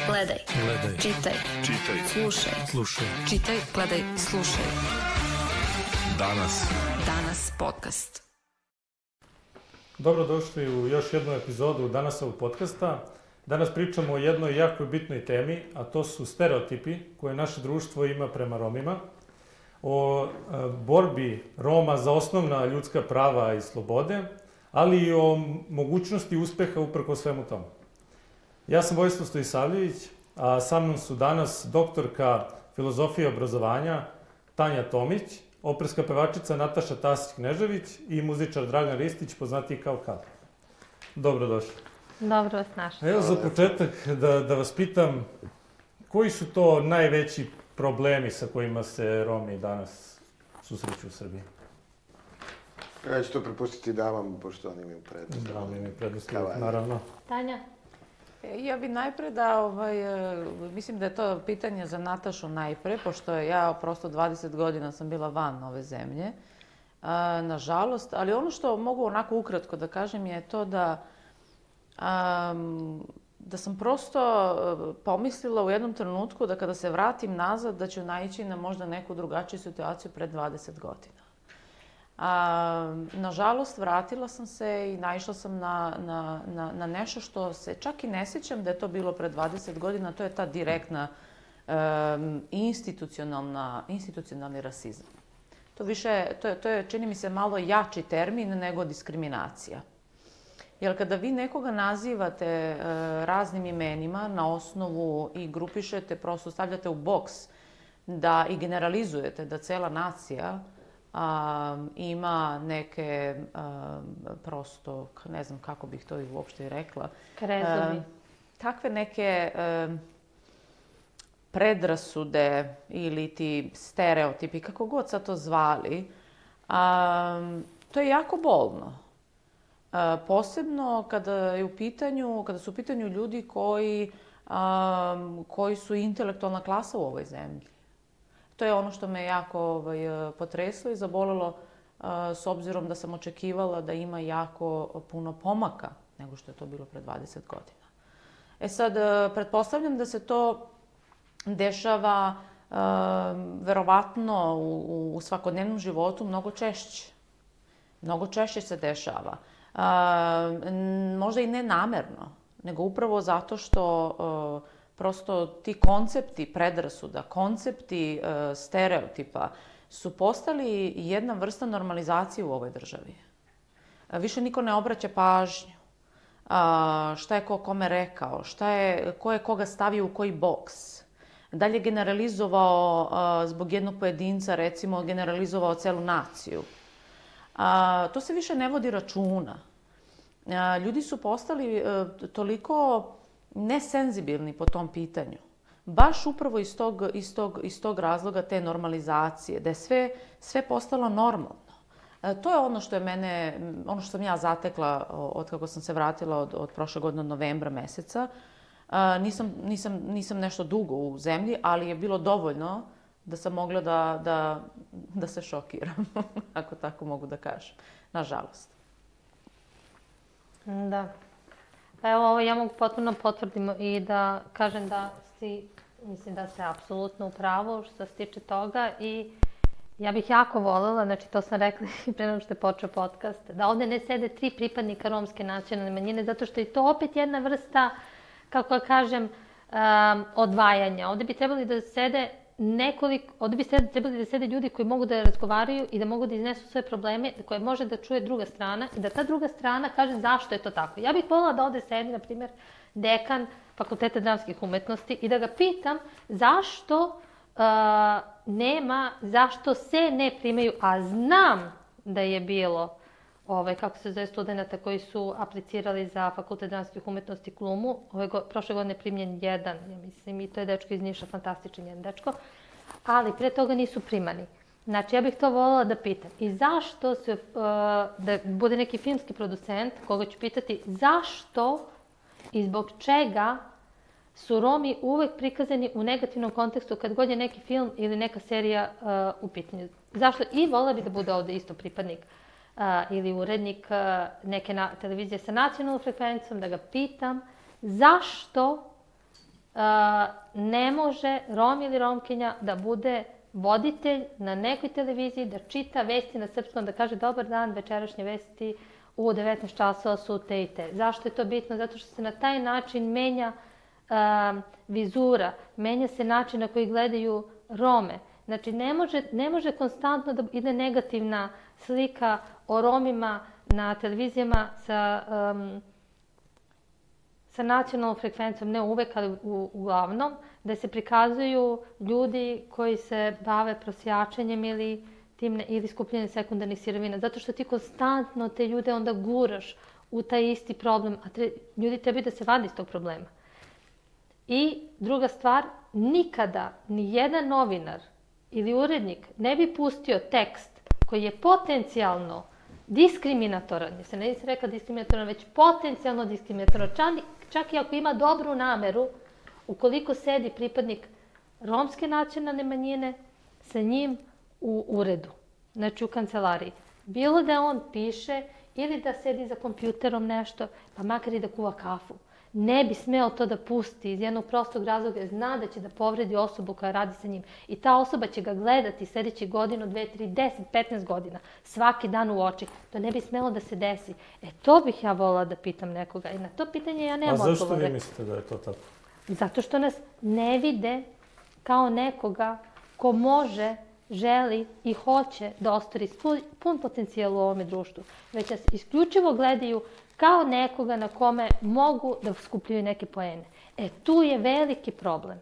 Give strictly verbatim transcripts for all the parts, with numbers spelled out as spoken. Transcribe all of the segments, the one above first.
Gledaj. Gledaj. Čitaj. Čitaj. Slušaj. Slušaj. Čitaj, gledaj, slušaj. Danas. Danas podcast. Dobrodošli u još jednu epizodu Danasovog podcasta. Danas pričamo o jednoj jako bitnoj temi, a to su stereotipi koje naše društvo ima prema Romima, o borbi Roma za osnovna ljudska prava i slobode, ali i o mogućnosti uspeha uprko svemu tomu. Ja sam Vojislav Stojisavljević, a sa mnom su danas doktorka filozofije i obrazovanja Tanja Tomić, operska pevačica Nataša Tasić-Knežević i muzičar Dragan Ristić, poznatiji kao Kal. Dobrodošli. Dobro vas našli. Evo za početak da, da vas pitam, koji su to najveći problemi sa kojima se Romi danas susreću u Srbiji? Ja ću to prepustiti damama, pošto oni imaju prednost. Da, oni imaju prednost, naravno. Tanja? Ja bi najpre da, ovaj, mislim da je to pitanje za Natašu najpre, pošto ja prosto dvadeset godina sam bila van ove zemlje, nažalost, ali ono što mogu onako ukratko da kažem je to da Um, da sam prosto pomislila u jednom trenutku da kada se vratim nazad da ću naići na možda neku drugačiju situaciju pred dvadeset godina. A, nažalost, vratila sam se i naišla sam na, na, na, na nešto što se čak i ne sjećam da je to bilo pred dvadeset godina, to je ta direktna um, institucionalna, institucionalni rasizam. To više, to je, to je, čini mi se, malo jači termin nego diskriminacija. Jer kada vi nekoga nazivate e, raznim imenima na osnovu i grupišete, prosto stavljate u boks da i generalizujete da cela nacija a, ima neke a, prosto, ne znam kako bih to i uopšte i rekla. Krezovi. E, takve neke e, predrasude ili ti stereotipi, kako god sad to zvali, a, to je jako bolno. Uh, posebno kada je u pitanju, kada su u pitanju ljudi koji, um, koji su intelektualna klasa u ovoj zemlji. To je ono što me jako ovaj, potreslo i zabolelo uh, s obzirom da sam očekivala da ima jako puno pomaka nego što je to bilo pre dvadeset godina. E sad, uh, pretpostavljam da se to dešava uh, verovatno u, u svakodnevnom životu mnogo češće. Mnogo češće se dešava. Uh, možda i ne namerno, nego upravo zato što uh, prosto ti koncepti predrasuda, koncepti uh, stereotipa su postali jedna vrsta normalizacije u ovoj državi. Uh, više niko ne obraća pažnju. Uh, šta je ko kome rekao, šta je, ko je koga stavio u koji boks. Da li je generalizovao uh, zbog jednog pojedinca, recimo generalizovao celu naciju. A, to se više ne vodi računa. A, ljudi su postali a, toliko nesenzibilni po tom pitanju. Baš upravo iz tog, iz tog, iz tog razloga te normalizacije, da je sve, sve postalo normalno. A, to je ono što je mene, ono što sam ja zatekla od kako sam se vratila od, od prošle godine, od novembra meseca. A, nisam, nisam, nisam nešto dugo u zemlji, ali je bilo dovoljno da sam mogla da, da, da se šokiram, ako tako mogu da kažem. Nažalost. Da. Pa evo, ovo ja mogu potpuno potvrdim i da kažem da si, mislim da ste apsolutno u pravu što se tiče toga i ja bih jako voljela, znači to sam rekla i pre nego što je počeo podcast, da ovde ne sede tri pripadnika romske nacionalne manjine, zato što je to opet jedna vrsta, kako da kažem, um, odvajanja. Ovde bi trebali da sede nekoliko, ovdje bi trebali da sede ljudi koji mogu da razgovaraju i da mogu da iznesu sve probleme koje može da čuje druga strana i da ta druga strana kaže zašto je to tako. Ja bih voljela da ovdje sedi, na primjer, dekan Fakulteta dramskih umetnosti i da ga pitam zašto uh, nema, zašto se ne primaju, a znam da je bilo ovaj, kako se zove, studenta koji su aplicirali za Fakultet dramskih umetnosti Klumu. Ove go, prošle godine primljen jedan, ja mislim, i to je dečko iz Niša, fantastičan jedan dečko. Ali pre toga nisu primani. Znači, ja bih to voljela da pitam. I zašto se, uh, da bude neki filmski producent, koga ću pitati, zašto i zbog čega su Romi uvek prikazani u negativnom kontekstu kad god je neki film ili neka serija uh, u pitanju. Zašto? I voljela bi da bude ovde isto pripadnik uh, ili urednik uh, neke na, televizije sa nacionalnom frekvencijom, da ga pitam zašto ne može Rom ili Romkinja da bude voditelj na nekoj televiziji, da čita vesti na srpskom, da kaže dobar dan, večerašnje vesti u devetnaest časova su te i te. Zašto je to bitno? Zato što se na taj način menja uh, vizura, menja se način na koji gledaju Rome. Znači, ne može, ne može konstantno da ide negativna slika o Romima na televizijama sa, um, sa nacionalnom frekvencijom, ne uvek, ali u, uglavnom, da se prikazuju ljudi koji se bave prosjačenjem ili, tim, ili skupljanjem sekundarnih sirovina. Zato što ti konstantno te ljude onda guraš u taj isti problem, a tre, ljudi tebi da se vadi iz tog problema. I druga stvar, nikada ni jedan novinar ili urednik ne bi pustio tekst koji je potencijalno diskriminatoran, ja se ne nisam rekla diskriminatoran, već potencijalno diskriminatoran, čak, čak i ako ima dobru nameru, ukoliko sedi pripadnik romske nacionalne manjine sa njim u uredu, znači u kancelariji. Bilo da on piše ili da sedi za kompjuterom nešto, pa makar i da kuva kafu. Ne bi smeo to da pusti iz jednog prostog razloga, zna da će da povredi osobu koja radi sa njim. I ta osoba će ga gledati sljedeći godinu, dve, tri, deset, petnaest godina, svaki dan u oči. To ne bi smelo da se desi. E, to bih ja volila da pitam nekoga. I na to pitanje ja nemam odgovore. A zašto vi mislite da je to tako? Zato što nas ne vide kao nekoga ko može, želi i hoće da ostvari pun potencijal u ovome društvu. Već nas isključivo gledaju kao nekoga na kome mogu da skupljaju neke poene. E, tu je veliki problem.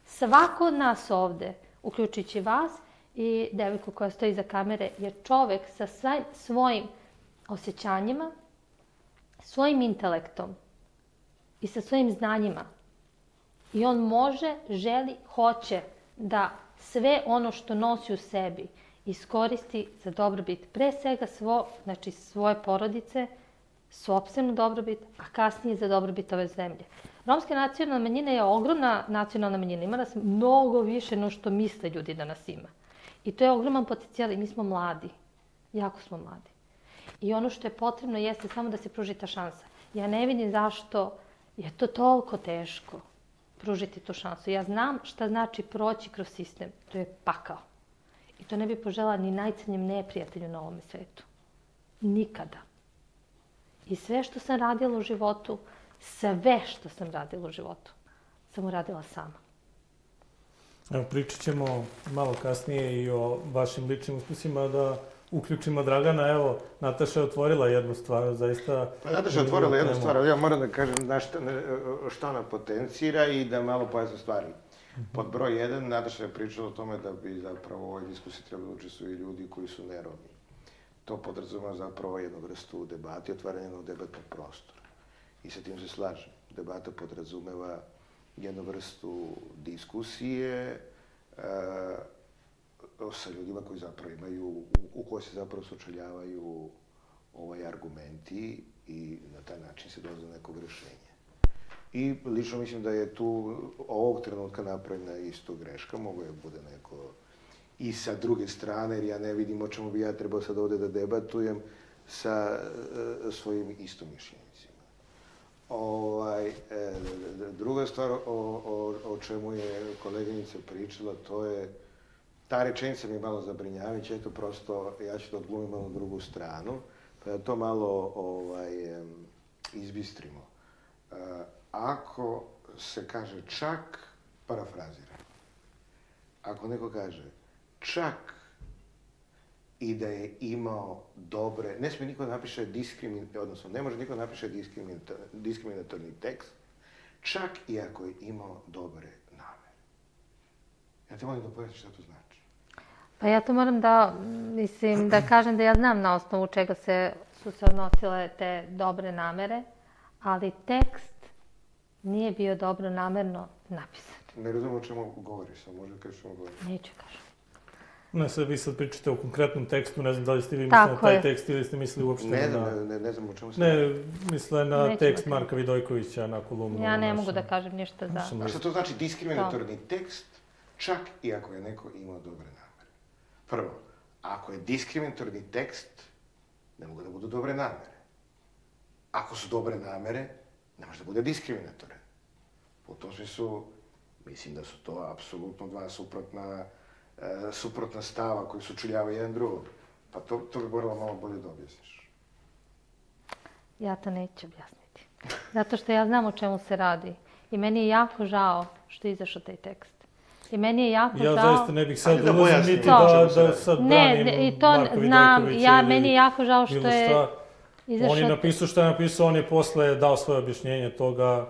Svako od nas ovde, uključujući vas i devojku koja stoji iza kamere, je čovek sa svojim osjećanjima, svojim intelektom i sa svojim znanjima. I on može, želi, hoće da sve ono što nosi u sebi iskoristi za dobrobit pre svega svo, znači svoje porodice, sopstvenu dobrobit, a kasnije za dobrobit ove zemlje. Romska nacionalna manjina je ogromna nacionalna manjina. Ima nas mnogo više no što misle ljudi da nas ima. I to je ogroman potencijal i mi smo mladi. Jako smo mladi. I ono što je potrebno jeste samo da se pruži ta šansa. Ja ne vidim zašto je to toliko teško pružiti tu šansu. Ja znam šta znači proći kroz sistem. To je pakao. I to ne bi požela ni najcrnjem neprijatelju na ovome svetu. Nikada. I sve što sam radila u životu, sve što sam radila u životu, sam uradila sama. Evo, pričat ćemo malo kasnije i o vašim ličnim uspjesima, da uključimo Dragana. Evo, Nataša je otvorila jednu stvar, zaista... Pa Nataša je otvorila jednu stvar, ali ja moram da kažem na šta, šta ona potencira i da malo pojasnim stvari. Pod broj jedan, Nataša je pričala o tome da bi zapravo u ovoj diskusiji trebali učestvuju ljudi koji su neromi. To podrazumeva zapravo jednu vrstu debate i otvaranje jednog debatnog prostora. I sa tim se slažem. Debata podrazumeva jednu vrstu diskusije uh, sa ljudima koji zapravo imaju, u, u kojoj se zapravo sučeljavaju ovaj argumenti i na taj način se dolazi do nekog rješenja. I lično mislim da je tu ovog trenutka napravljena isto greška, mogu je bude neko i sa druge strane, jer ja ne vidim o čemu bi ja trebao sad ovde da debatujem sa uh, svojim istomišljenicima. Ovaj, e, druga stvar o, o, o čemu je koleginica pričala, to je, ta rečenica mi je malo zabrinjavajuća, eto prosto, ja ću da odglumim malo drugu stranu, pa da to malo ovaj, izbistrimo. E, ako se kaže čak, parafrazira, ako neko kaže čak i da je imao dobre, ne smije niko da napiše diskrimin, odnosno ne može niko da napiše diskriminatorni tekst, čak i ako je imao dobre namere. Ja te molim da pojasniš šta to znači. Pa ja to moram da, mislim, da kažem da ja znam na osnovu čega se, su se odnosile te dobre namere, ali tekst nije bio dobro namerno napisan. Ne razumijem o čemu govoriš, a možda kažeš o čemu govoriš. Neću kažem. Ne, sad vi sad pričate o konkretnom tekstu, ne znam da li ste vi mislili na taj je. tekst ili ste mislili uopšte ne, na... Ne, ne, ne znam o čemu ste... Ne, misle na Neću tekst da Marka Vidojkovića na kolumnu. Ja ne našem, mogu da kažem ništa za... A šta to znači diskriminatorni to. tekst, čak i ako je neko imao dobre namere? Prvo, ako je diskriminatorni tekst, ne mogu da budu dobre namere. Ako su dobre namere, ne može da bude diskriminatoran. U tom smislu, mislim da su to apsolutno dva suprotna, e, suprotna stava koji sučeljavaju jedan drugog. Pa to, to bi moralo malo bolje da objasniš. Ja to neću objasniti. Zato što ja znam o čemu se radi. I meni je jako žao što je izašao taj tekst. I meni je jako ja žao... Ja zaista ne bih sad da ulazim niti da, da sad branim ne, i to Marko znam, Vidojković ja, ili meni je jako žao što je šta. izašao... On je napisao što je napisao, on je posle dao svoje objašnjenje toga.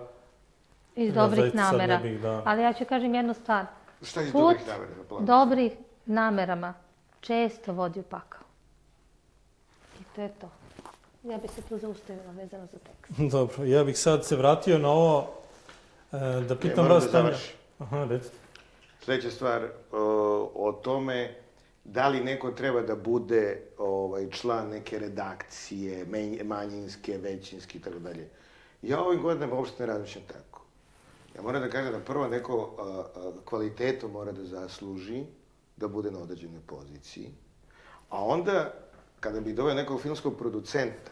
Iz ja dobrih namera. Ne bih, da... Ali ja ću kažem jednu stvar. Šta je iz Put dobrih namera? Plan? dobrih namerama često vodi u pakao. I to je to. Ja bih se tu zaustavila vezano za tekst. Dobro, ja bih sad se vratio na ovo, da pitam ne, vas... Da Aha, recite. Sljedeća stvar o, o tome da li neko treba da bude ovaj, član neke redakcije, manjinske, većinske i tako dalje. Ja ovim godinama uopšte ne razmišljam tako. Ja moram da kažem da prvo neko a, a, kvalitetom mora da zasluži da bude na određenoj poziciji, a onda kada bi doveo nekog filmskog producenta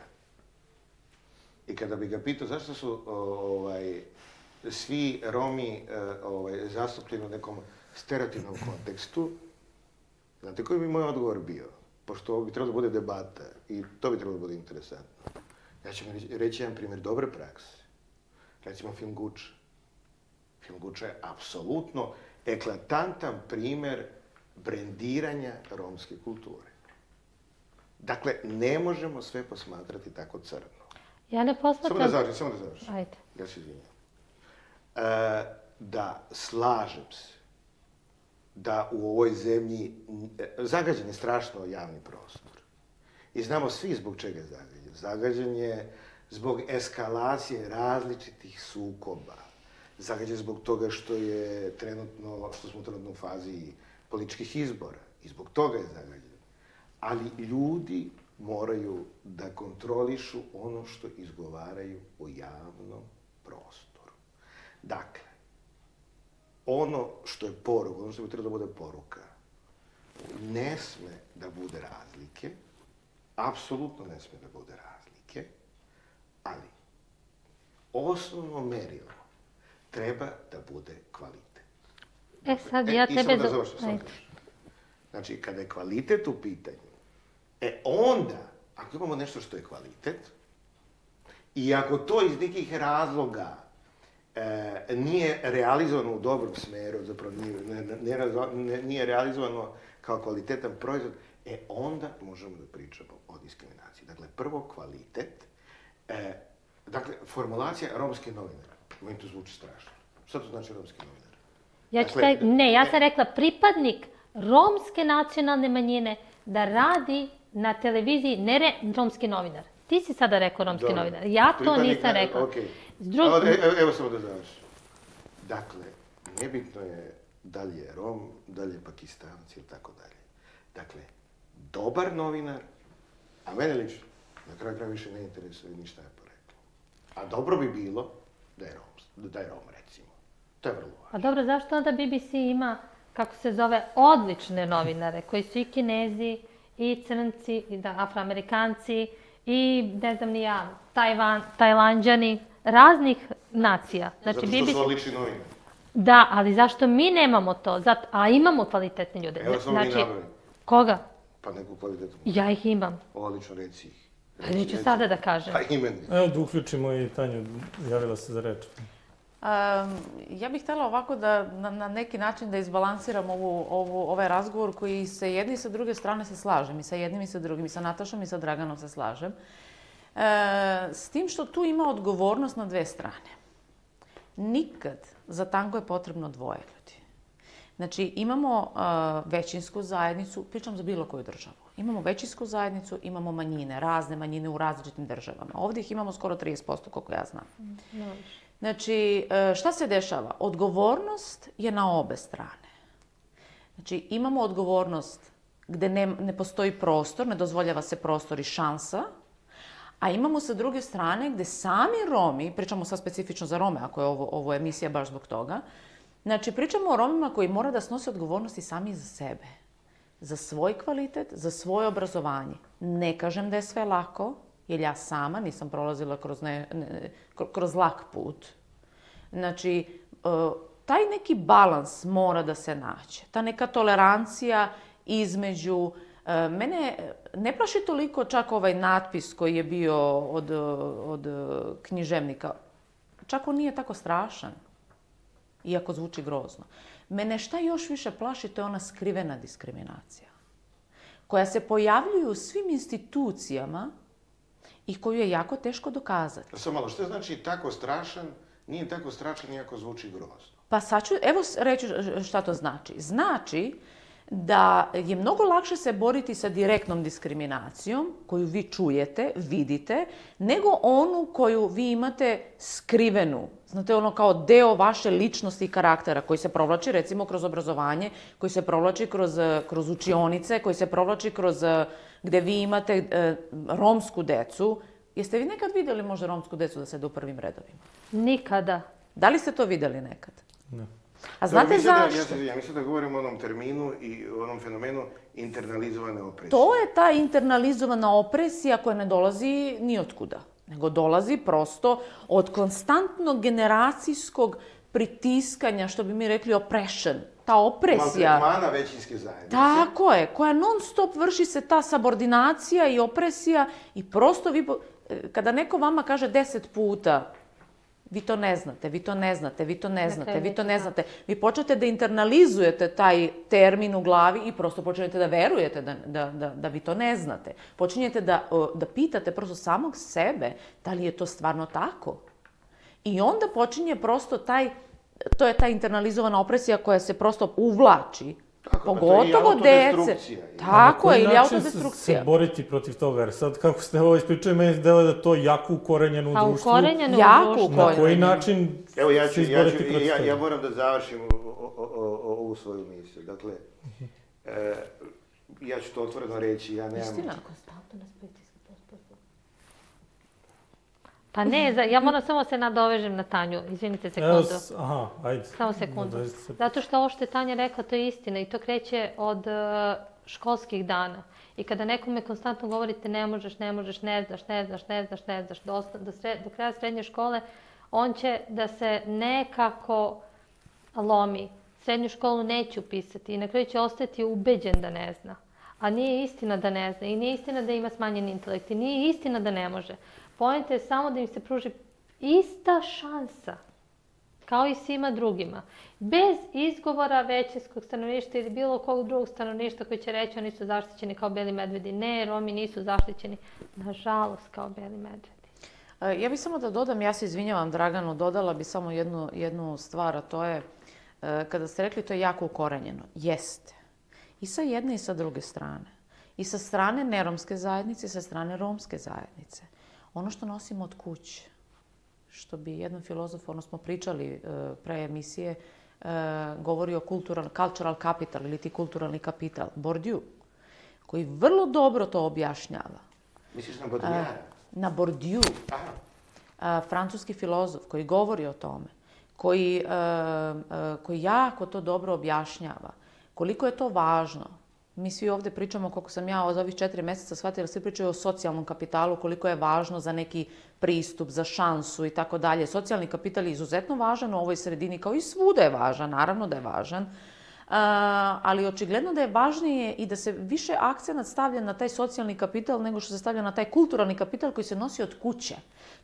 i kada bi ga pitao zašto su ovaj, svi Romi ovaj, zastupljeni u nekom stereotipnom kontekstu, znate koji bi moj odgovor bio? Pošto ovo bi trebalo da bude debata i to bi trebalo da bude interesantno. Ja ću mi reći jedan primjer dobre prakse. Recimo film Guča. Film Guča je apsolutno eklatantan primjer brendiranja romske kulture. Dakle, ne možemo sve posmatrati tako crno. Ja ne posmatram... Samo da završim, samo da završim. Ajde. Ja se izvinjam. E, da slažem se da u ovoj zemlji zagađen je strašno javni prostor. I znamo svi zbog čega je zagađen. Zagađen je zbog eskalacije različitih sukoba. Zagađen zbog toga što je trenutno, što smo trenutno u fazi političkih izbora. I zbog toga je zagađen. Ali ljudi moraju da kontrolišu ono što izgovaraju u javnom prostoru. Dakle, ono što je poruka, ono što bi trebalo da bude poruka, ne sme da bude razlike, apsolutno ne sme da bude razlike, ali osnovno merilo treba da bude kvalitet. E sad, ja e, tebe... I samo da završim, samo da završim. Znači, kada je kvalitet u pitanju, e onda, ako imamo nešto što je kvalitet, i ako to iz nekih razloga e, nije realizovano u dobrom smeru, zapravo nije, ne, ne, nije realizovano kao kvalitetan proizvod, e onda možemo da pričamo o diskriminaciji. Dakle, prvo kvalitet, e, dakle, formulacija romski novinar. Meni to zvuči strašno. Šta to znači romski novinar? Ja ću dakle, taj, ne, ja sam rekla pripadnik romske nacionalne manjine da radi na televiziji, ne re, romski novinar. Ti si sada rekao romski Dobre. novinar. Ja to pripadnik, nisam rekla. Okay. Drug... Evo, evo samo da završim. Dakle, nebitno je da li je Rom, da li je Pakistanac ili tako dalje. Dakle, dobar novinar, a mene lično, na kraju kraja više ne interesuje ništa je poreklo. A dobro bi bilo da je Rom, da je Rom recimo. To je vrlo važno. A dobro, zašto onda B B C ima, kako se zove, odlične novinare, koji su i Kinezi, i Crnci, i da, Afroamerikanci, i ne znam ni ja, Tajvan, Tajlanđani, raznih nacija. Znači, Zato što B B C... su odlični novinari. Da, ali zašto mi nemamo to? Zato, a imamo kvalitetne ljude. Evo sam znači, mi nabrali. Koga? Pa neku kvalitetnu. Ja ih imam. Odlično, reci ih. Pa neću sada da kažem. Pa imen. Evo da uključimo i Tanju, javila se za reč. Um, ja bih htjela ovako da na, na neki način da izbalansiram ovu, ovu, ovaj razgovor koji se jedni i sa druge strane se slažem. I sa jednim i sa drugim, i sa Natašom i sa Draganom se slažem. E, s tim što tu ima odgovornost na dve strane. Nikad za tango je potrebno dvoje ljudi. Znači, imamo uh, većinsku zajednicu, pričam za bilo koju državu. Imamo većinsku zajednicu, imamo manjine, razne manjine u različitim državama. Ovdje ih imamo skoro trideset posto, koliko ja znam. No. Znači, šta se dešava? Odgovornost je na obe strane. Znači, imamo odgovornost gdje ne, ne postoji prostor, ne dozvoljava se prostor i šansa, a imamo sa druge strane gdje sami Romi, pričamo sad specifično za Rome, ako je ovo, ovo emisija baš zbog toga, znači, pričamo o Romima koji mora da snose odgovornosti sami za sebe. Za svoj kvalitet, za svoje obrazovanje. Ne kažem da je sve lako, jer ja sama nisam prolazila kroz, ne, ne, kroz lak put. Znači, taj neki balans mora da se nađe. Ta neka tolerancija između... Mene ne plaši toliko čak ovaj natpis koji je bio od, od književnika. Čak on nije tako strašan, iako zvuči grozno. Mene šta još više plaši, to je ona skrivena diskriminacija, koja se pojavljuje u svim institucijama i koju je jako teško dokazati. Samo malo, što znači tako strašan, nije tako strašan iako zvuči grozno? Pa sad ću, evo reći šta to znači. Znači da je mnogo lakše se boriti sa direktnom diskriminacijom, koju vi čujete, vidite, nego onu koju vi imate skrivenu. Znate, ono kao deo vaše ličnosti i karaktera, koji se provlači recimo kroz obrazovanje, koji se provlači kroz, kroz učionice, koji se provlači kroz gde vi imate e, romsku decu. Jeste vi nekad vidjeli možda romsku decu da sede u prvim redovima? Nikada. Da li ste to vidjeli nekad? Ne. A znate zašto? Ja mislim da govorim o onom terminu i o onom fenomenu internalizovane opresije. To je ta internalizovana opresija koja ne dolazi ni otkuda, nego dolazi prosto od konstantnog generacijskog pritiskanja, što bi mi rekli oppression. Ta opresija... Maltretmana većinske zajednice. Tako je, koja non stop vrši se ta subordinacija i opresija i prosto vi... Kada neko vama kaže deset puta vi to ne znate, vi to ne znate, vi to ne znate, vi to ne znate. Vi počnete da internalizujete taj termin u glavi i prosto počnete da verujete da, da, da, da vi to ne znate. Počinjete da, da pitate prosto samog sebe da li je to stvarno tako. I onda počinje prosto taj, to je ta internalizovana opresija koja se prosto uvlači. Tako, pogotovo dece. Tako je, ili autodestrukcija. Na koji način se boriti protiv toga? Jer sad, kako ste ovo ispričali, meni se delo da je to jako ukorenjeno u A društvu. ukorenjeno u Jako društvu. Na koji način Evo, ja ću, se ja, izboriti ću, protiv ja, toga? ja moram da završim ovu svoju misiju. Dakle, e, ja ću to otvoreno reći, ja nemam... Istina. Pa ne, za- ja moram samo se nadovežem na Tanju, izvinite Evo, sekundu. s- aha, ajde. Samo sekundu. Nadovežite se. Zato što ovo što je Tanja rekla, to je istina i to kreće od e, školskih dana. I kada nekome konstantno govorite ne možeš, ne možeš, ne znaš, ne znaš, ne znaš, ne znaš, do, osta- do, sre- do kraja srednje škole, on će da se nekako lomi. Srednju školu neće upisati i na kraju će ostati ubeđen da ne zna. A nije istina da ne zna i nije istina da ima smanjen intelekt i nije istina da ne može. Poenta je samo da im se pruži ista šansa, kao i svima drugima. Bez izgovora većinskog stanovništva ili bilo kog drugog stanovništva koji će reći oni su zaštićeni kao beli medvedi. Ne, Romi nisu zaštićeni, nažalost, kao beli medvedi. Ja bih samo da dodam, ja se izvinjavam Draganu, dodala bi samo jednu, jednu stvar, a to je, kada ste rekli to je jako ukorenjeno. Jeste. I sa jedne i sa druge strane. I sa strane neromske zajednice i sa strane romske zajednice. Ono što nosimo od kuće, što bi jedan filozof, ono smo pričali pre emisije, govori o cultural, cultural capital ili ti kulturalni kapital, Bourdieu, koji vrlo dobro to objašnjava. Misliš na Baudrillara? Na Bourdieu, Aha. francuski filozof koji govori o tome, koji, koji jako to dobro objašnjava. Koliko je to važno. Mi svi ovdje pričamo, koliko sam ja od ovih četiri mjeseca shvatila, svi pričaju o socijalnom kapitalu, koliko je važno za neki pristup, za šansu i tako dalje. Socijalni kapital je izuzetno važan u ovoj sredini, kao i svuda je važan, naravno da je važan. Uh, ali očigledno da je važnije i da se više akcenat stavlja na taj socijalni kapital nego što se stavlja na taj kulturalni kapital koji se nosi od kuće.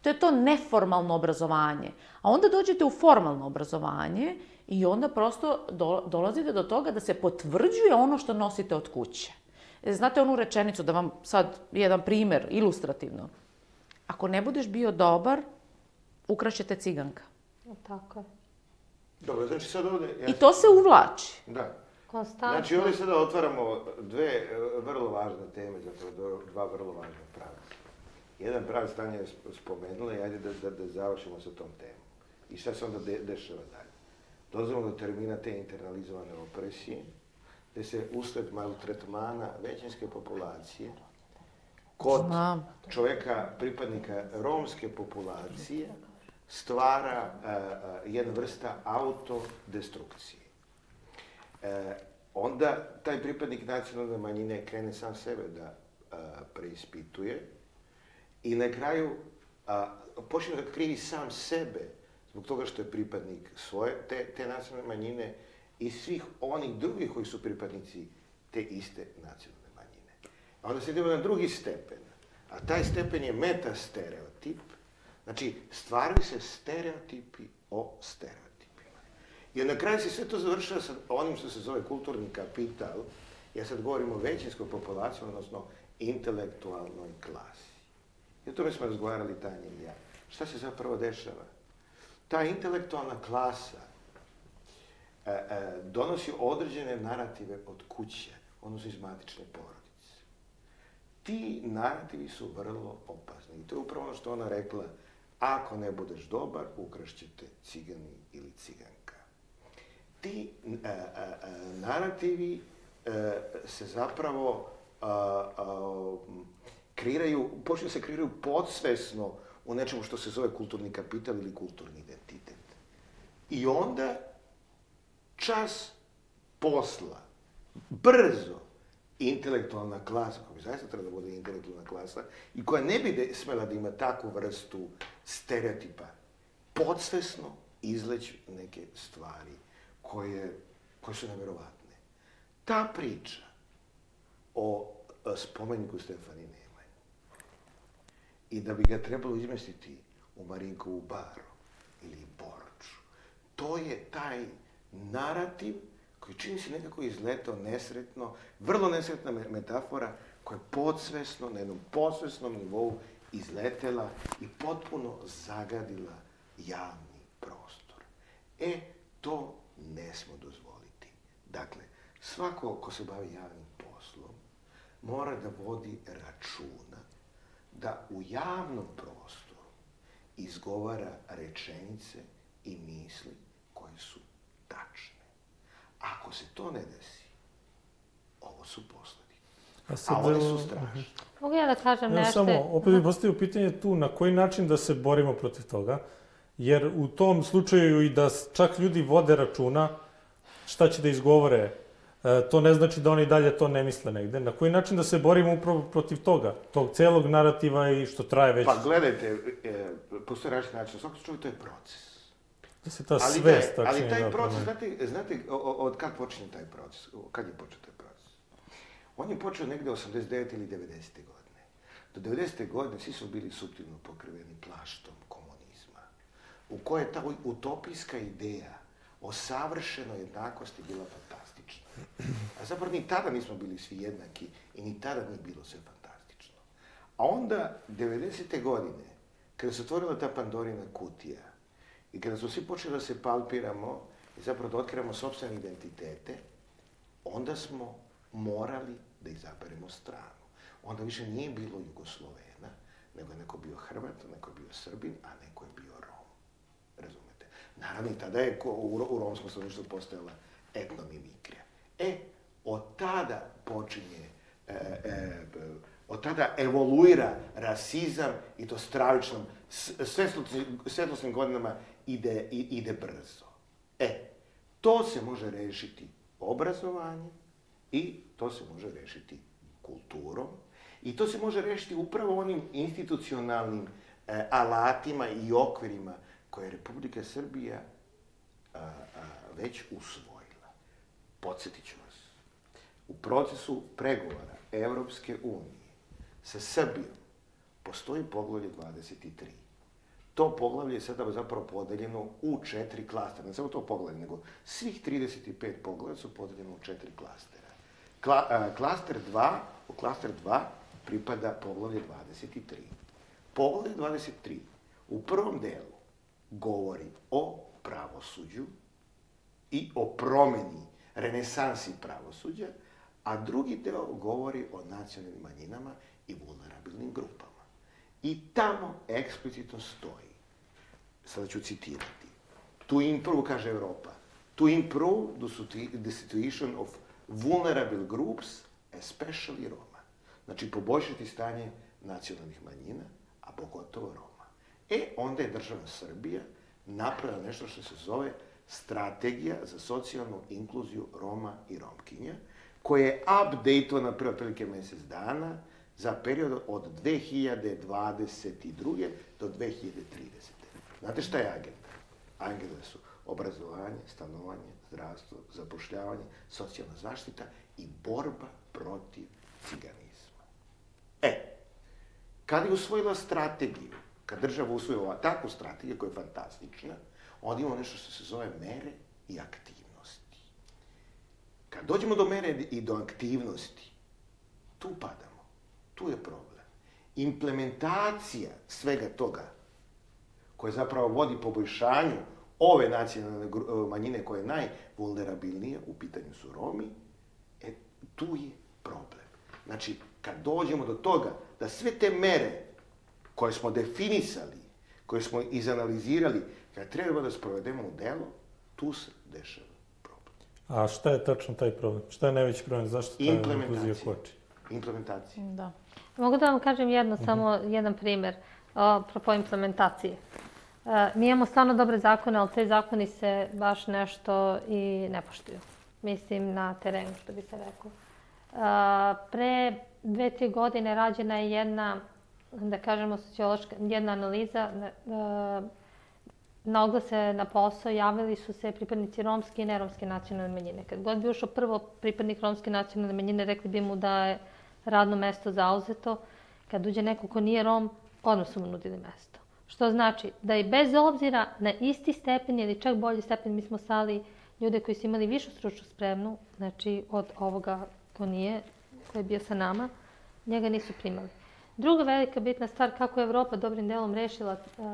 To je to neformalno obrazovanje. A onda dođete u formalno obrazovanje i onda prosto do, dolazite do toga da se potvrđuje ono što nosite od kuće. Znate onu rečenicu, da vam sad jedan primjer, ilustrativno. Ako ne budeš bio dobar, ukrašćete ciganka. Tako je. Dobro, znači sad ovdje... Ja... I to se uvlači. Da. Konstantno. Znači ovdje sada otvaramo dve vrlo važne teme, zapravo dva vrlo važna pravca. Jedan pravac Tanja je spomenula i ajde da, da, da završimo sa tom temom. I šta se onda de, dešava dalje? Dolazimo do termina te internalizovane opresije, gdje se usled maltretmana većinske populacije kod Znam. čovjeka, pripadnika romske populacije, stvara uh, uh, jedna vrsta autodestrukcije. Uh, onda taj pripadnik nacionalne manjine krene sam sebe da uh, preispituje i na kraju uh, počne da krivi sam sebe zbog toga što je pripadnik svoje, te, te nacionalne manjine i svih onih drugih koji su pripadnici te iste nacionalne manjine. A onda se idemo na drugi stepen, a taj stepen je metastereotip, znači stvaraju se stereotipi o stereotipima. I na kraju se sve to završava sa onim što se zove kulturni kapital, ja sad govorim o većinskoj populaciji, odnosno intelektualnoj klasi. I o tome smo razgovarali Tanja i ja. Šta se zapravo dešava? Ta intelektualna klasa e, e, donosi određene narative od kuće, odnosno iz matične porodice. Ti narativi su vrlo opasni. I to je upravo ono što ona rekla, ako ne budeš dobar, ukrašćete cigani ili ciganka. Ti e, e, narativi e, se zapravo a, a, kreiraju, počinju se kreiraju podsvesno u nečemu što se zove kulturni kapital ili kulturni identitet. I onda, čas posla, brzo, intelektualna klasa, koja bi zaista treba da bude intelektualna klasa, i koja ne bi de, smela da ima takvu vrstu stereotipa, podsvesno izleći neke stvari koje, koje su neverovatne. Ta priča o spomeniku Stefani Nemanji i da bi ga trebalo izmestiti u Marinkovu baru ili Borču, to je taj narativ koji čini se nekako izletao nesretno, vrlo nesretna metafora koja je podsvesno, na jednom podsvesnom nivou izletela i potpuno zagadila javni prostor. E, to ne smo dozvoliti. Dakle, svako ko se bavi javnim poslom mora da vodi računa da u javnom prostoru izgovara rečenice i misli koje su tačne. Ako se to ne desi, ovo su posledice. A, sad, a one su strašne. Mogu ja da kažem ja nešto? Samo, opet bih postavio pitanje tu, na koji način da se borimo protiv toga, jer u tom slučaju i da čak ljudi vode računa šta će da izgovore, e, to ne znači da oni dalje to ne misle negde. Na koji način da se borimo upravo protiv toga, tog celog narativa i što traje već... Pa gledajte, e, postoje različiti način, u svakom slučaju to je proces. Da se ta svest... Ali, ali taj proces, znate, znate od kad počinje taj proces? Kad je počeo taj proces? On je počeo negde osamdeset devete ili devedesete godine. Do devedesete godine svi su bili suptilno pokriveni plaštom komunizma, u kojoj je ta utopijska ideja o savršenoj jednakosti bila fantastična. A zapravo ni tada nismo bili svi jednaki i ni tada nije bilo sve fantastično. A onda, devedesete godine, kada se otvorila ta Pandorina kutija i kada smo svi počeli da se palpiramo i zapravo da otkrivamo sopstvene identitete, onda smo morali da izaberemo stranu. Onda više nije bilo Jugoslovena, nego je neko bio Hrvat, neko je bio Srbin, a neko je bio Rom. Razumete? Naravno, i tada je u, u romskom stanovništvu postojala etnomimikrija. E, od tada počinje, e, e, od tada evoluira rasizam i to stravičnom, svetlosnim godinama ide, ide brzo. E, to se može rešiti obrazovanjem i to se može rešiti kulturom i to se može rešiti upravo onim institucionalnim e, alatima i okvirima koje je Republika Srbija a, a, već usvojila. Podsjetit ću vas, u procesu pregovora Evropske unije sa Srbijom postoji poglavlje dvadeset tri. To poglavlje je sada zapravo podeljeno u četiri klastera. Ne samo to poglavlje, nego svih trideset pet poglavlja su podeljeno u četiri klastera. Kla, a, klaster dva, u klaster dva pripada poglavlje dvadeset tri. Poglavlje dvadeset tri u prvom delu govori o pravosuđu i o promeni, renesansi pravosuđa, a drugi deo govori o nacionalnim manjinama i vulnerabilnim grupama. I tamo eksplicitno stoji, sada ću citirati, to improve, kaže Evropa, to improve the situation of vulnerable groups, especially Roma. Znači, poboljšati stanje nacionalnih manjina, a pogotovo Roma. E, onda je država Srbija napravila nešto što se zove Strategija za socijalnu inkluziju Roma i Romkinja, koja je updateovana pre otprilike mesec dana za period od dve hiljade dvadeset druge do dve hiljade tridesete. Znate šta je agenda? Angele su obrazovanje, stanovanje, zdravstvo, zapošljavanje, socijalna zaštita i borba protiv ciganizma. E, kad je usvojila strategiju, kad država usvojila takvu strategiju koja je fantastična, onda imamo nešto što se zove mere i aktivnosti. Kad dođemo do mere i do aktivnosti, tu padamo, tu je problem. Implementacija svega toga, koja zapravo vodi poboljšanju ove nacionalne manjine koja je najvulnerabilnija, u pitanju su Romi, e, tu je problem. Znači, kad dođemo do toga da sve te mere koje smo definisali, koje smo izanalizirali, kad treba da sprovedemo u delo, tu se dešava problem. A šta je tačno taj problem? Šta je najveći problem? Zašto ta inkluzija koči? Implementacija. Da. Mogu da vam kažem jedno, uh-huh. samo jedan primer, apropo implementacije. Uh, mi imamo stvarno dobre zakone, ali te zakoni se baš nešto i ne poštuju. Mislim, na terenu, što bi se rekao. Uh, pre dve, tri godine rađena je jedna, da kažemo, sociološka, jedna analiza. Uh, na oglase na posao javili su se pripadnici romske i neromske nacionalne manjine. Kad god bi ušao prvo pripadnik romske nacionalne manjine, rekli bi mu da je radno mesto zauzeto. Kad uđe neko ko nije Rom, odmah su mu nudili mesto. Što znači da i bez obzira na isti stepen ili čak bolji stepen, mi smo stali ljude koji su imali višu stručnu spremnu, znači od ovoga ko nije, ko je bio sa nama, njega nisu primali. Druga velika bitna stvar kako je Evropa dobrim delom rešila uh,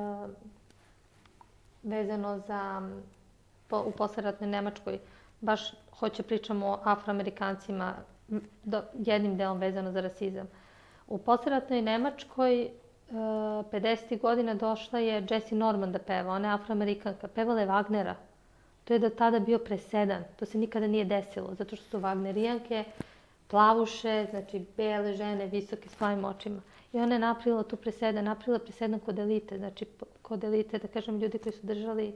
vezano za po, u posleratnoj Nemačkoj, baš hoće pričamo o Afroamerikancima, do, jednim delom vezano za rasizam. U posleratnoj Nemačkoj pedesetih godina došla je Jessie Norman da peva, ona je Afroamerikanka, pevala je Wagnera. To je do tada bio presedan, to se nikada nije desilo, zato što su Wagnerijanke, plavuše, znači bele žene, visoke s plavim očima. I ona je napravila tu presedan, napravila presedan kod elite, znači kod elite, da kažem, ljudi koji su držali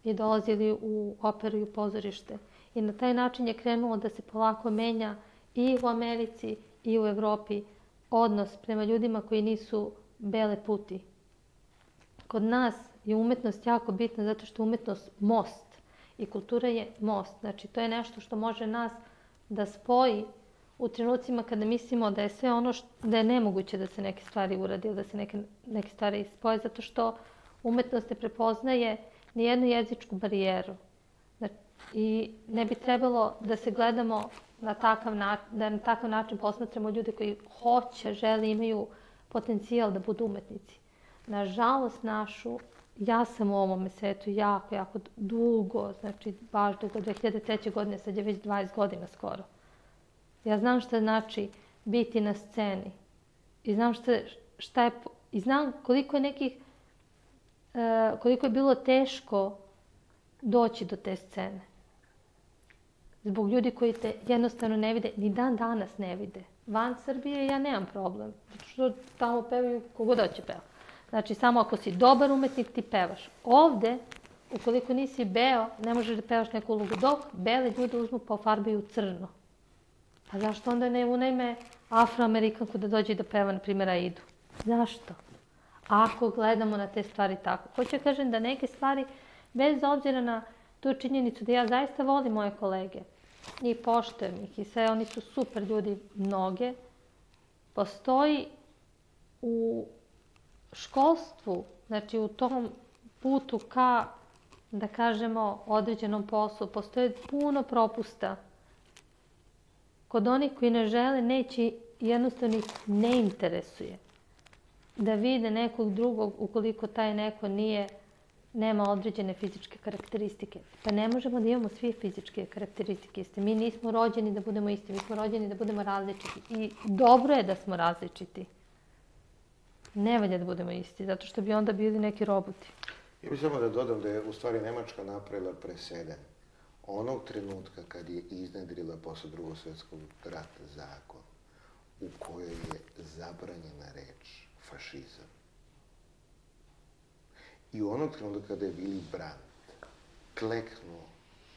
i dolazili u operu i u pozorište. I na taj način je krenulo da se polako menja i u Americi i u Evropi odnos prema ljudima koji nisu bele puti. Kod nas je umetnost jako bitna zato što je umetnost most i kultura je most. Znači, to je nešto što može nas da spoji u trenucima kada mislimo da je sve ono što, da je nemoguće da se neke stvari uradi ili da se neke, neke stvari spoje, zato što umetnost ne prepoznaje nijednu jezičku barijeru. Znači, i ne bi trebalo da se gledamo na takav način, da na takav način posmatramo ljude koji hoće, žele, imaju potencijal da budu umetnici. Nažalost našu, ja sam u ovom svetu jako, jako dugo, znači baš dugo, dve hiljade treće. godine, sad je već dvadeset godina skoro. Ja znam šta znači biti na sceni i znam šta, šta je, i znam koliko je nekih, koliko je bilo teško doći do te scene. Zbog ljudi koji te jednostavno ne vide, ni dan danas ne vide. Van Srbije ja nemam problem, zato što tamo pevaju kogod hoće peva. Znači, samo ako si dobar umetnik, ti pevaš. Ovde, ukoliko nisi beo, ne možeš da pevaš neku ulogu, dok bele ljude uzmu pa ofarbaju crno. Pa zašto onda ne unajme Afroamerikanku da dođe da peva, na primjer, Aidu? Zašto? Ako gledamo na te stvari tako. Hoću kažem da neke stvari, bez obzira na tu činjenicu da ja zaista volim moje kolege i poštujem ih i sve, oni su super ljudi, mnoge, postoji u školstvu, znači u tom putu ka, da kažemo, određenom poslu, postoje puno propusta. Kod onih koji ne žele, neće, jednostavno ih ne interesuje da vide nekog drugog ukoliko taj neko nije, nema određene fizičke karakteristike. Pa ne možemo da imamo svi fizičke karakteristike iste. Mi nismo rođeni da budemo isti, mi smo rođeni da budemo različiti. I dobro je da smo različiti. Ne valja da budemo isti, zato što bi onda bili neki roboti. Ja bih samo da dodam da je u stvari Nemačka napravila presedan. Onog trenutka kad je iznedrila posle drugog svjetskog rata zakon u kojoj je zabranjena reč fašizam. I u onog trenutka kada je Willy Brandt kleknuo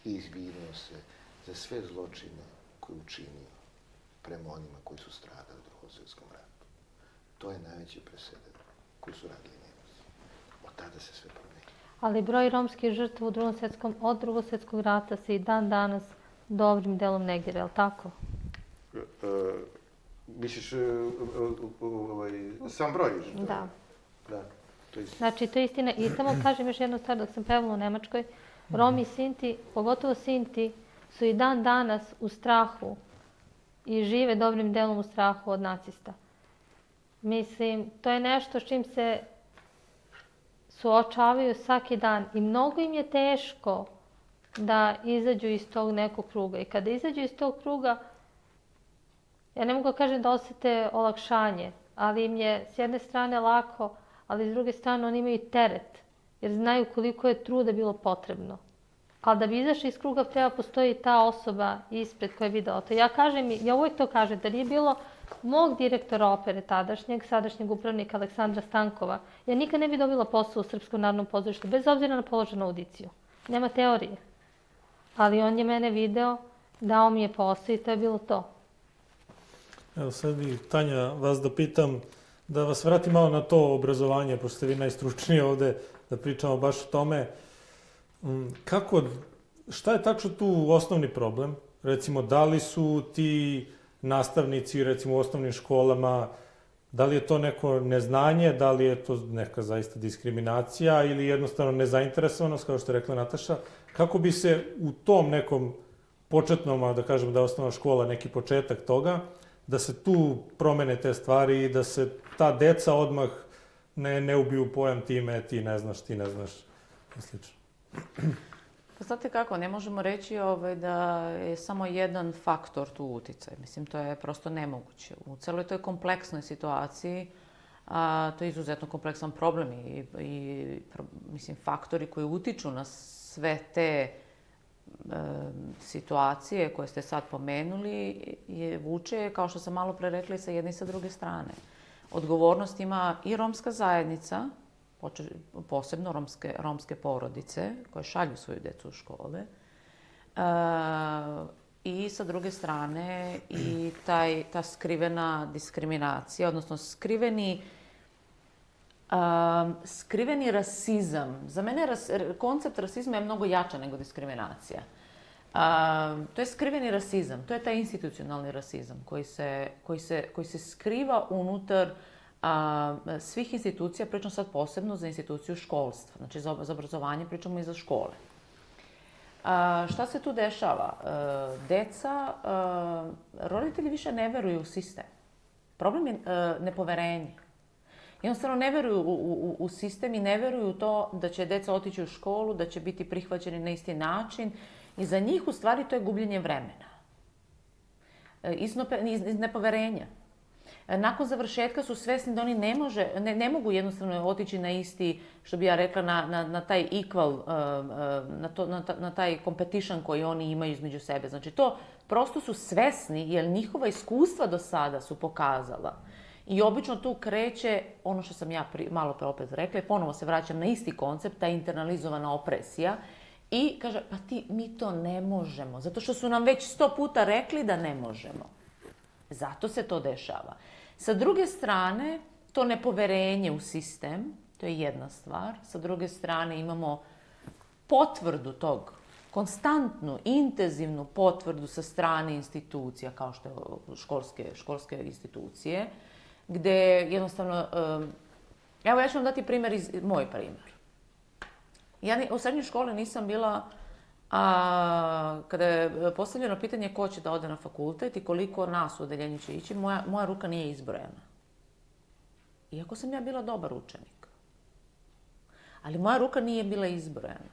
i izvinuo se za sve zločine koje je učinio prema onima koji su stradali u drugom svjetskom ratu. To je najveći presedan koji su radili Nemci. Od tada se sve promenilo. ali broj romskih žrtva u drugom svjetskom, od drugog svjetskog rata se i dan danas dobrim delom negira, je li tako? E, misliš, ovaj, sam broj žrtva? Da. Da, to je istina. Znači, to je istina. I samo kažem još jednu stvar, dok sam pevala u Nemačkoj, Romi i Sinti, pogotovo Sinti, su i dan danas u strahu i žive dobrim delom u strahu od nacista. Mislim, to je nešto s čim se suočavaju svaki dan i mnogo im je teško da izađu iz tog nekog kruga. I kada izađu iz tog kruga, ja ne mogu da kažem da osjete olakšanje, ali im je s jedne strane lako, ali s druge strane oni imaju teret, jer znaju koliko je truda bilo potrebno. Ali da bi izašli iz kruga treba postoji ta osoba ispred koja je videla to. Ja kažem, ja uvijek to kažem, da nije bilo mog direktora opere tadašnjeg, sadašnjeg upravnika Aleksandra Stankova, ja nikad ne bi dobila posao u Srpskom narodnom pozorištu, bez obzira na položenu audiciju. Nema teorije. Ali on je mene video, dao mi je posao i to je bilo to. Evo sad bi, Tanja, vas da pitam, da vas vratim malo na to obrazovanje, pošto ste vi najstručniji ovde, da pričamo baš o tome. Kako, šta je tačno tu osnovni problem? Recimo, da li su ti nastavnici, recimo u osnovnim školama, da li je to neko neznanje, da li je to neka zaista diskriminacija ili jednostavno nezainteresovanost, kao što je rekla Nataša? Kako bi se u tom nekom početnom, da kažemo da je osnovna škola neki početak toga, da se tu promene te stvari i da se ta deca odmah ne, ne ubiju pojam time, ti ne znaš, ti ne znaš i slično. Pa znate kako, ne možemo reći ovaj, da je samo jedan faktor tu uticaj. Mislim, to je prosto nemoguće. U celoj toj kompleksnoj situaciji, a, to je izuzetno kompleksan problem i, i pro, mislim, faktori koji utiču na sve te e, situacije koje ste sad pomenuli je vuče, kao što sam malo pre rekla, i sa jedne i sa druge strane. Odgovornost ima i romska zajednica, posebno romske, romske porodice koje šalju svoju decu u škole. E, I sa druge strane i taj, ta skrivena diskriminacija, odnosno skriveni, um, skriveni rasizam. Za mene ras, koncept rasizma je mnogo jača nego diskriminacija. Um, to je skriveni rasizam, to je taj institucionalni rasizam koji se, koji se, koji se skriva unutar a, svih institucija, pričam sad posebno za instituciju školstva, znači za, za obrazovanje pričamo i za škole. A, šta se tu dešava? A, deca, a, roditelji više ne veruju u sistem. Problem je a, nepoverenje. Jednostavno ne veruju u, u, u sistem i ne veruju u to da će deca otići u školu, da će biti prihvaćeni na isti način i za njih u stvari to je gubljenje vremena. Iz, iz, iz nepoverenja. Nakon završetka su svesni da oni ne, može, ne, ne mogu jednostavno otići na isti, što bi ja rekla, na, na, na taj equal, na, to, na, na taj competition koji oni imaju između sebe. Znači to prosto su svesni jer njihova iskustva do sada su pokazala. I obično tu kreće ono što sam ja pri, malo pre opet rekla i ponovo se vraćam na isti koncept, ta internalizovana opresija. I kaže, pa ti, mi to ne možemo, zato što su nam već sto puta rekli da ne možemo. Zato se to dešava. Sa druge strane, to nepoverenje u sistem, to je jedna stvar. Sa druge strane imamo potvrdu tog, konstantnu, intenzivnu potvrdu sa strane institucija, kao što je školske, školske institucije, gde jednostavno, evo ja ću vam dati primjer iz, moj primjer. Ja u srednjoj školi nisam bila, a kada je postavljeno pitanje ko će da ode na fakultet i koliko nas u odeljenju će ići, moja, moja ruka nije izbrojena. Iako sam ja bila dobar učenik. Ali moja ruka nije bila izbrojena.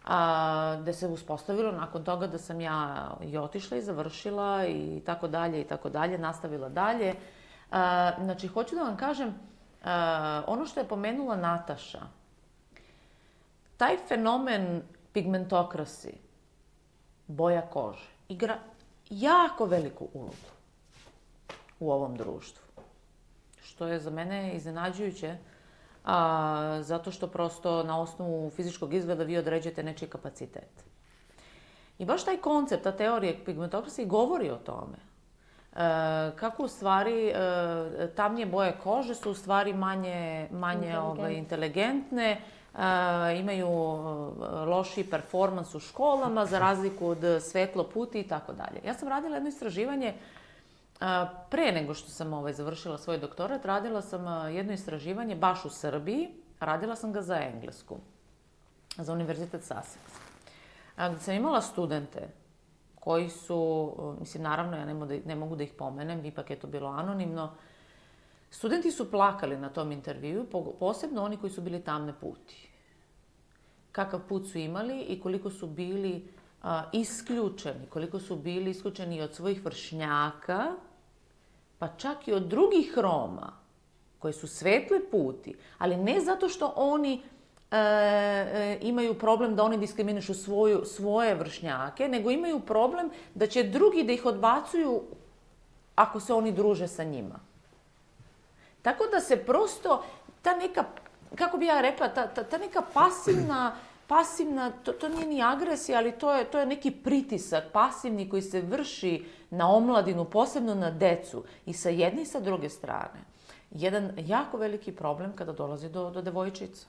A, da se uspostavilo nakon toga da sam ja i otišla i završila i tako dalje i tako dalje, nastavila dalje. A, znači, hoću da vam kažem, a, ono što je pomenula Nataša, taj fenomen pigmentokrasi, boja kože, igra jako veliku ulogu u ovom društvu. Što je za mene iznenađujuće, a, zato što prosto na osnovu fizičkog izgleda vi određujete nečiji kapacitet. I baš taj koncept, ta teorija pigmentokrasi govori o tome. E, kako u stvari e, tamnije boje kože su u stvari manje, manje inteligentne, ovaj, inteligentne imaju lošiji performans u školama za razliku od svetloputi i tako dalje. Ja sam radila jedno istraživanje pre nego što sam ovaj, završila svoj doktorat, radila sam jedno istraživanje baš u Srbiji, radila sam ga za Englesku, za Univerzitet Sussex. Gde sam imala studente koji su, mislim, naravno, ja ne mogu, da, ne mogu da ih pomenem, ipak je to bilo anonimno. Studenti su plakali na tom intervju, posebno oni koji su bili tamne puti. Kakav put su imali i koliko su bili a, isključeni, koliko su bili isključeni od svojih vršnjaka, pa čak i od drugih Roma, koji su svetle puti, ali ne zato što oni E, e, imaju problem da oni diskriminišu svoju, svoje vršnjake, nego imaju problem da će drugi da ih odbacuju ako se oni druže sa njima. Tako da se prosto ta neka, kako bi ja rekla, ta, ta, ta neka pasivna, pasivna to, to nije ni agresija, ali to je, to je neki pritisak pasivni koji se vrši na omladinu, posebno na decu i sa jedne i sa druge strane. Jedan jako veliki problem kada dolazi do, do devojčica.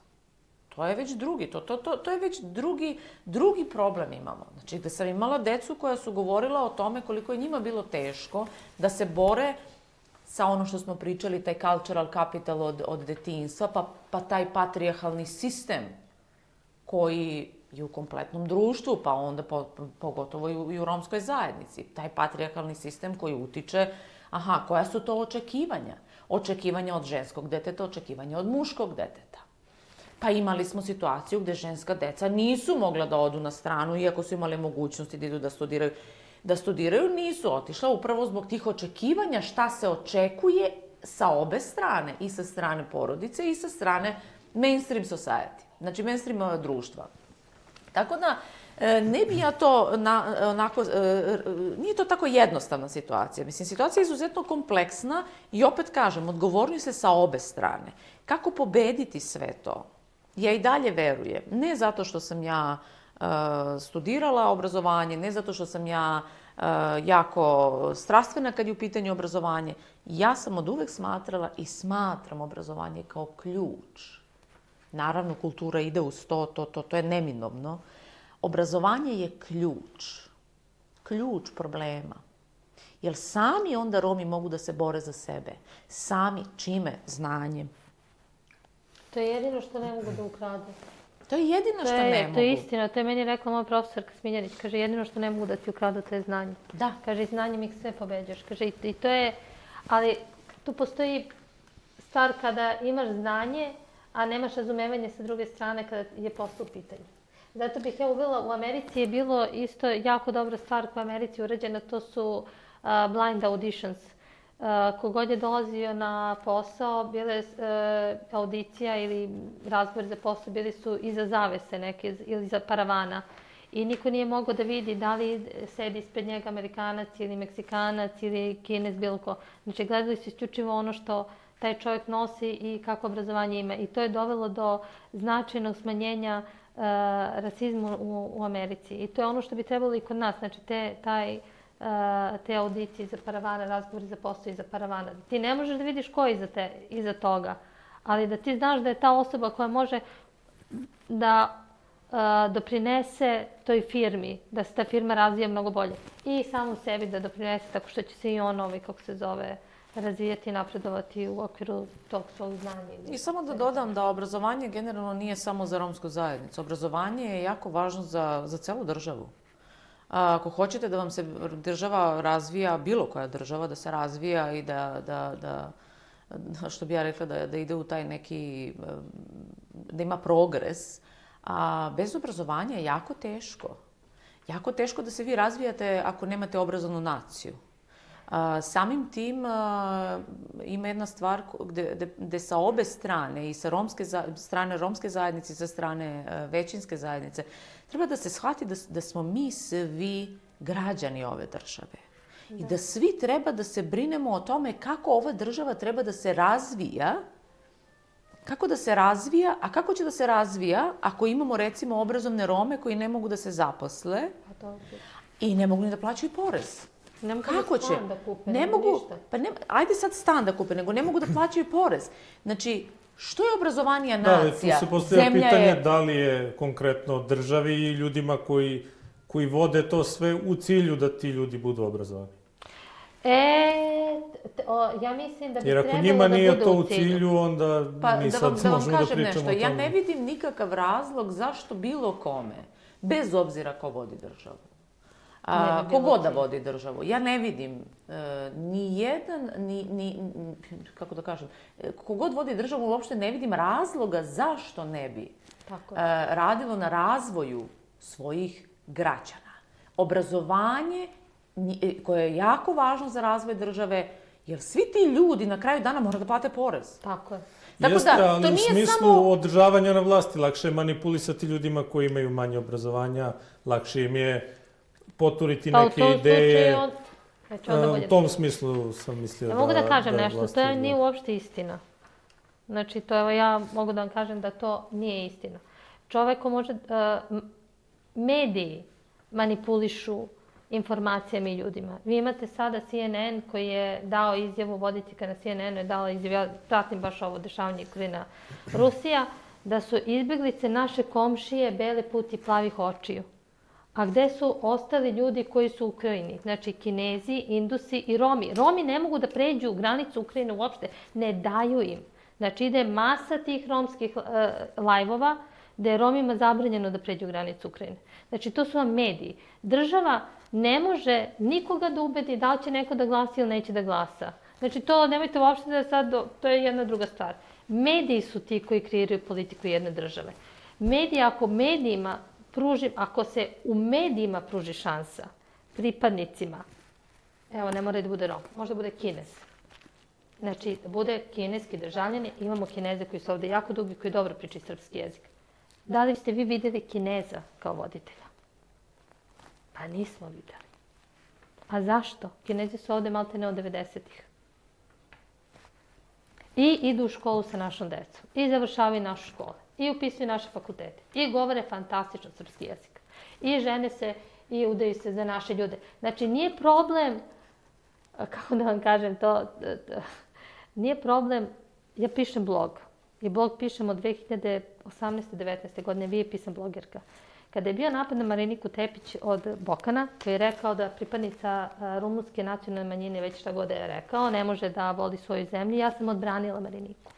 To je već drugi, to, to, to, to je već drugi, drugi problem imamo. Znači, gde sam imala decu koja su govorila o tome koliko je njima bilo teško da se bore sa ono što smo pričali, taj cultural capital od, od detinjstva, pa, pa taj patrijarhalni sistem koji je u kompletnom društvu, pa onda po, pogotovo i u, i u romskoj zajednici. Taj patrijarhalni sistem koji utiče, aha, koja su to očekivanja? Očekivanja od ženskog deteta, očekivanja od muškog deteta. Pa imali smo situaciju gde ženska deca nisu mogla da odu na stranu, iako su imali mogućnosti da idu da studiraju. Da studiraju, nisu otišla upravo zbog tih očekivanja šta se očekuje sa obe strane, i sa strane porodice i sa strane mainstream society, znači mainstream društva. Tako da, ne bi ja to na, onako, nije to tako jednostavna situacija. Mislim, situacija je izuzetno kompleksna i opet kažem, odgovorni se sa obe strane. Kako pobediti sve to? Ja i dalje verujem, ne zato što sam ja uh, studirala obrazovanje, ne zato što sam ja uh, jako strastvena kad je u pitanju obrazovanje. Ja sam od uvek smatrala i smatram obrazovanje kao ključ. Naravno, kultura ide uz to, to, to, to je neminovno. Obrazovanje je ključ. Ključ problema. Jer sami onda Romi mogu da se bore za sebe. Sami čime? Znanjem. To je jedino što ne mogu da ukradu. To je jedino što je, ne mogu. To je istina, to je meni rekla moja profesorka Smiljanić. Kaže, jedino što ne mogu da ti ukradu, to je znanje. Da. Kaže, znanjem ih sve pobeđaš. Kaže, i to je, ali tu postoji stvar kada imaš znanje, a nemaš razumevanje sa druge strane kada je posao u pitanju. Zato bih ja uvela, u Americi je bilo isto jako dobra stvar koja je u Americi urađena, to su uh, blind auditions. Uh, kogod je dolazio na posao, bile uh, audicija ili razgovor za posao, bili su iza zavese neke ili iza paravana. I niko nije mogao da vidi da li sedi ispred njega Amerikanac ili Meksikanac ili Kinez, bilo ko. Znači, gledali su isključivo ono što taj čovjek nosi i kako obrazovanje ima. I to je dovelo do značajnog smanjenja uh, rasizmu u, u Americi. I to je ono što bi trebalo i kod nas. Znači, te, taj... te audicije za paravana, razgovori za posao iza paravana. Ti ne možeš da vidiš ko je iza, te, iza toga, ali da ti znaš da je ta osoba koja može da a, doprinese toj firmi, da se ta firma razvija mnogo bolje. I samo sebi da doprinese tako što će se i on, ovaj, kako se zove, razvijati i napredovati u okviru tog svog znanja. I samo da dodam da obrazovanje generalno nije samo za romsku zajednicu. Obrazovanje je jako važno za, za celu državu. Ako hoćete da vam se država razvija, bilo koja država da se razvija i da, da, da što bi ja rekla, da, da ide u taj neki, da ima progres, a bez obrazovanja je jako teško. Jako teško da se vi razvijate ako nemate obrazovnu naciju. A, samim tim a, ima jedna stvar gde, gde, gde sa obe strane, i sa romske za, strane romske zajednice i sa strane a, većinske zajednice, treba da se shvati da, da smo mi svi građani ove države. Da. I da svi treba da se brinemo o tome kako ova država treba da se razvija, kako da se razvija, a kako će da se razvija ako imamo recimo obrazovne Rome koji ne mogu da se zaposle i ne mogu ni da plaćaju porez. Ne mogu kako da će? Stan da kupe, ne ne mogu, ništa. Pa ne, ajde sad stan da kupe, nego ne mogu da plaćaju porez. Znači, Što je obrazovanija Da, ali nacija? tu se postavlja Zemlja pitanje je... da li je konkretno državi i ljudima koji, koji vode to sve u cilju da ti ljudi budu obrazovani. E, t- o, ja mislim da bi Jer ako trebalo njima da nije bude to u u cilju. cilju, onda Pa mi da sad vam, da vam možemo da kažem pričamo nešto, o ja tome. ne vidim nikakav razlog zašto bilo kome, bez obzira ko vodi državu, a, bi ko bilo god da cilj. vodi državu, ja ne vidim e, ni jedan, ni, ni, kako da kažem, e, kogod vodi državu uopšte ne vidim razloga zašto ne bi Tako e, radilo na razvoju svojih građana. Obrazovanje nji- koje je jako važno za razvoj države, jer svi ti ljudi na kraju dana moraju da plate porez. Tako je. Tako Jeste, da, ali to u nije smislu samo... održavanja na vlasti. Lakše je manipulisati ljudima koji imaju manje obrazovanja, lakše im je poturiti Pa u neke tom ideje. slučaju on... Znači, onda E, bolje U tom da- smislu sam mislio Ja da... mogu da kažem da nešto, vlasti to je, odgovara. nije uopšte istina. Znači, to evo ja mogu da vam kažem da to nije istina. Čovek ko može, uh, m- mediji manipulišu informacijama i ljudima. Vi imate sada C N N koji je dao izjavu, voditeljka na C N N-u je dala izjavu, ja pratim baš ovo dešavanje Ukrajina, Rusija, da su izbjeglice naše komšije bele puti plavih očiju. A gde su ostali ljudi koji su u Ukrajini? Znači, Kinezi, Indusi i Romi. Romi ne mogu da pređu granicu Ukrajine uopšte. Ne daju im. Znači, ide masa tih romskih uh, lajvova gde je Romima zabranjeno da pređu granicu Ukrajine. Znači, to su vam mediji. Država ne može nikoga da ubedi da li će neko da glasa ili neće da glasa. Znači, to nemojte uopšte da sad, to je jedna druga stvar. Mediji su ti koji kreiraju politiku jedne države. Mediji, ako medijima pruži, ako se u medijima pruži šansa pripadnicima, evo, ne mora da bude Rom, možda bude Kinez. Znači, da bude kineski državljani, imamo Kineze koji su ovde jako dugi, koji dobro pričaju srpski jezik. Da li ste vi videli Kineza kao voditelja? Pa nismo videli. A zašto? Kinezi su ovde malte ne od devedesetih. I idu u školu sa našom decom. I završavaju naše škole. I upisuju naše fakultete. I govore fantastično srpski jezik. I žene se i udaju se za naše ljude. Znači, nije problem, kako da vam kažem to, nije problem, ja pišem blog. I blog pišem od dve hiljade osamnaeste. devetnaeste. godine, vi je pisam blogerka. Kada je bio napad na Mariniku Tepić od Bokana, koji je rekao da pripadnica rumunske nacionalne manjine, već šta god je rekao, ne može da voli svoju zemlju, ja sam odbranila Mariniku.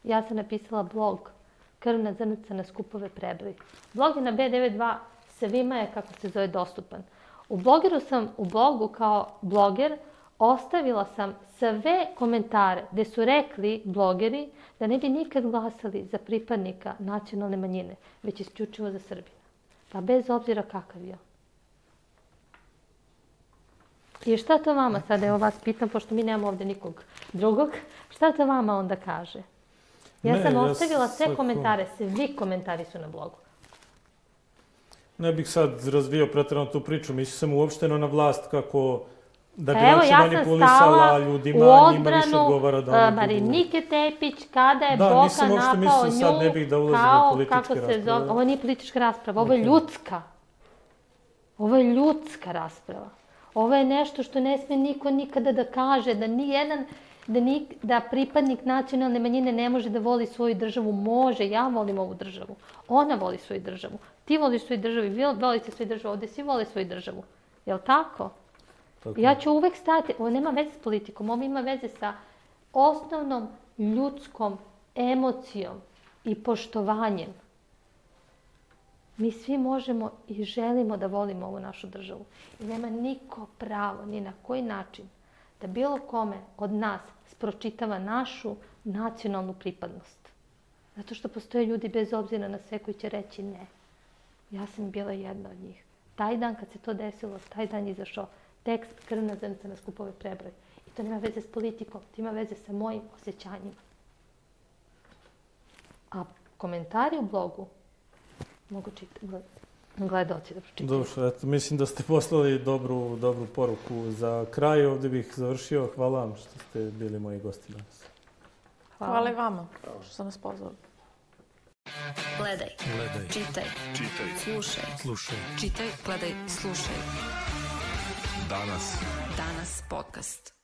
Ja sam napisala blog Krvna zrnca na skupove prebroj. Blog je na B devedeset dva, svima je, kako se zove, dostupan. U blogeru sam, u blogu kao bloger, ostavila sam sve komentare gde su rekli blogeri da ne bi nikad glasali za pripadnika nacionalne manjine, već isključivo za Srbina. Pa bez obzira kakav je. I šta to vama, sada evo vas pitam, pošto mi nemamo ovde nikog drugog, šta to vama onda kaže? Ja Ne, sam ja ostavila sve svako- komentare, svi komentari su na blogu. Ne bih sad razvio pretjerano tu priču, mislio sam uopšteno na vlast kako da bi Pa evo, lakše ja sam manipulisala stala ljudima, u njima više odbranu odgovara da uh, oni budu... Marinike Tepić kada je Da, Boka nisam uopšte napao mislio, sad ne nju bih da ulazim u kao, političke kako se rasprave. zove, ovo nije politička rasprava, ovo je Ok. ljudska. Ovo je ljudska rasprava. Ovo je nešto što ne sme niko nikada da kaže, da ni jedan, da, ni, da pripadnik nacionalne manjine ne može da voli svoju državu. Može, ja volim ovu državu. Ona voli svoju državu. Ti voliš svoju državu, vi volite svoju državu, ovde svi vole svoju državu. Jel' tako? Tako. Ja ću uvek stati, ovo nema veze s politikom, ovo ima veze sa osnovnom ljudskom emocijom i poštovanjem. Mi svi možemo i želimo da volimo ovu našu državu. I nema niko pravo, ni na koji način, da bilo kome od nas spročitava našu nacionalnu pripadnost. Zato što postoje ljudi bez obzira na sve koji će reći ne. Ja sam bila jedna od njih. Taj dan kad se to desilo, taj dan je izašao tekst Krvna zrnca na skupove prebroj. I to nema veze s politikom, to ima veze sa mojim osjećanjima. A komentari u blogu mogu čitati, gledaoci da pročitaju. Dobro, eto, mislim da ste poslali dobru, dobru poruku za kraj. Ovdje bih završio. Hvala vam što ste bili moji gosti danas. Hvala i vama što ste nas pozvali. Gledaj, Gledaj. čitaj, Čitaj. slušaj. Slušaj. Čitaj, gledaj, slušaj. Danas. Danas podcast.